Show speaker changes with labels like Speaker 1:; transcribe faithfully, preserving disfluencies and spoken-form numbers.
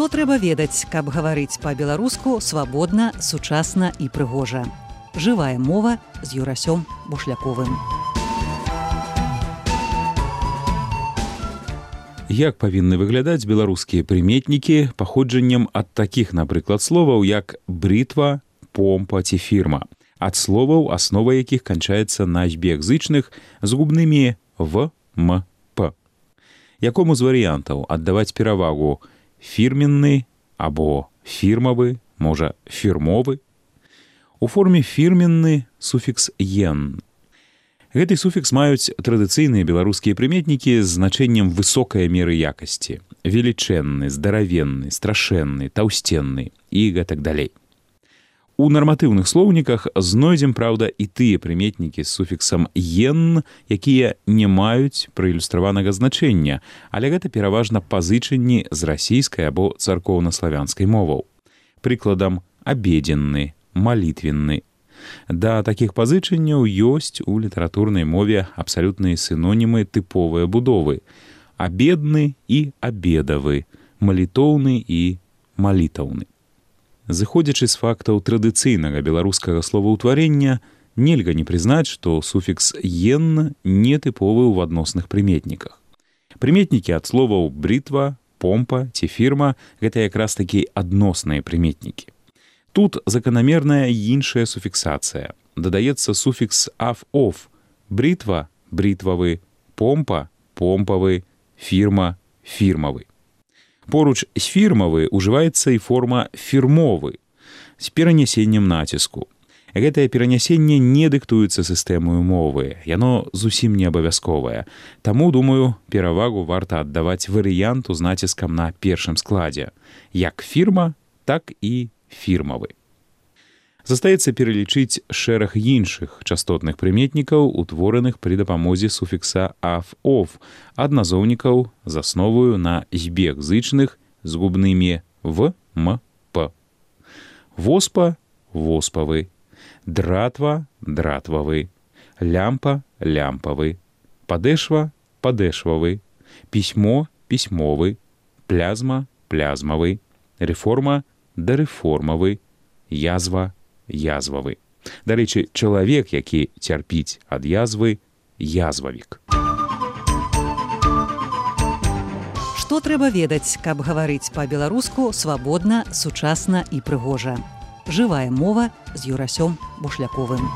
Speaker 1: Што трэба ведаць, каб гаварыць па-беларуску свабодна, сучасна і прыгожа. Жывая мова з Юрасём Бушляковым.
Speaker 2: Як павінны выглядаць беларускія прыметнікі паходжаннем ад такіх, напрыклад, словаў, як брытва, помпа ці фірма, ад словаў, аснова якіх канчаецца на збегзычных з губнымі в, м, п. Якому з варыянтаў аддаваць перавагу фірменны або фірмавы, можа, фірмовы? У форме фірменны суфікс «ен». Гэты суфікс маюць традыцыйныя беларускія прыметнікі з значэннем высокай меры якасці. Велічэнны, здаравенны, страшэнны, таўсценны і гэтак далей. У нарматыўных слоўніках знойдзем, праўда, і тыя прыметнікі з суфіксам «ен», якія не маюць праілюстраванага значэння, але гэта пераважна пазычанні з расійскай або царкоўна-славянскай моваў. Прыкладам, абедзенны, малітвенны. Да такіх пазычанняў ёсць у літаратурнай мове абсалютныя сінонімы тыповыя будовы: абедны і абедавы, малітоўны і малітаўны. Зыходзячы з фактаў традыцыйнага беларускага словаўтварення, нельга не прызнаць, што суфікс «ен» не тыповы ў адносных прыметніках. Прыметнікі ад словаў брытва, помпа ці фірма – гэта якраз такі адносныя прыметнікі. Тут заканамерная іншая суфіксацыя. Дадаецца суфікс «ав-ов» – брытва – брытвавы, помпа – помпавы, фірма – фірмавы. Поруч з фірмавы ўжываецца і форма фірмовы з перанясеннем націску. Гэтае перанясенне не дыктуецца сістэмаю мовы, яно зусім не абавязковае. Таму, думаю, перавагу варта аддаваць варыянту з націскам на першым складзе. Як фірма, так і фірмавы. Застаецца пералічыць шэраг іншых частотных прыметнікаў, утвораных пры дапамозе суфікса «ав-ов», адназоўнікаў з асноваю на збегзычных з губнымі в, м, п. Воспа – воспавы, дратва – дратвавы, лямпа – лямпавы, падэшва – падэшвавы, пісьмо – пісьмовы, плязма – плязмавы, рэформа – дарэформавы, язва – язвавы. Дарэчы, чалавек, які цярпіць ад язвы – язвавік.
Speaker 1: Што трэба ведаць, каб гаварыць па-беларуску свабодна, сучасна і прыгожа. Жывая мова з Юрасём Бушляковым.